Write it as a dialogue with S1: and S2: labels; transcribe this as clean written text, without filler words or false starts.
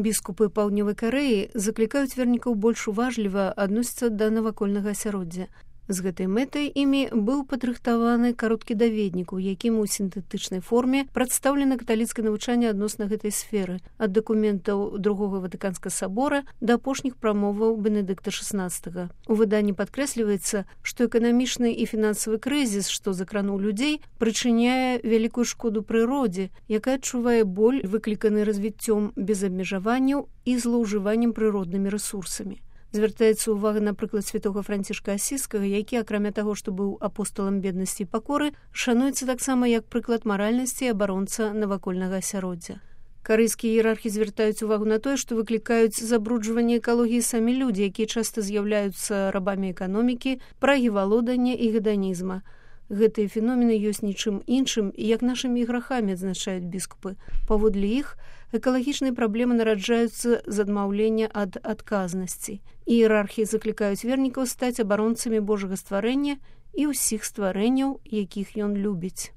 S1: Біскупы паўднёвай Карэі заклікаюць вернікаў больш уважліва адносіцца да навакольнага асяроддзя. З гэтай мэтай імі быў падрыхтаваны кароткі даведнік, у якім у сінтэтычнай форме прадстаўлена каталіцкае навучанне адносна гэтай сферы, ад дакументаў Другога Ватыканскага сабора да апошніх прамоваў Бенедыкта XVI. У выданні падкрэсліваецца, што эканамічны і фінансавы крызіс, што закрануў людзей, прычыняе вялікую шкоду прыродзе, якая адчувае боль, выкліканы развіццём без абмежаванняў і злоўжываннем прыроднымі рэсурсамі. Звяртаецца ўвага на прыклад святога Францішка Асіскага, які, акрамя таго, што быў апосталам беднасці і пакоры, шануецца таксама як прыклад маральнасці і абаронца навакольнага асяроддзя. Карэйскія іерархі звяртаюць увагу на тое, што выклікаюць забруджванне экалогіі самі людзі, якія часта з'яўляюцца рабамі эканомікі, прагі валодання і геданізма. Гэтыя феномены ёсць нічым іншым, як нашымі грахамі, адзначаюць біскупы. Паводле іх, экалагічныя праблемы нараджаюцца з адмаўлення ад адказнасці. Іерархі заклікаюць вернікаў стаць абаронцамі Божага стварэння і ўсіх стварэнняў, якіх ён любіць.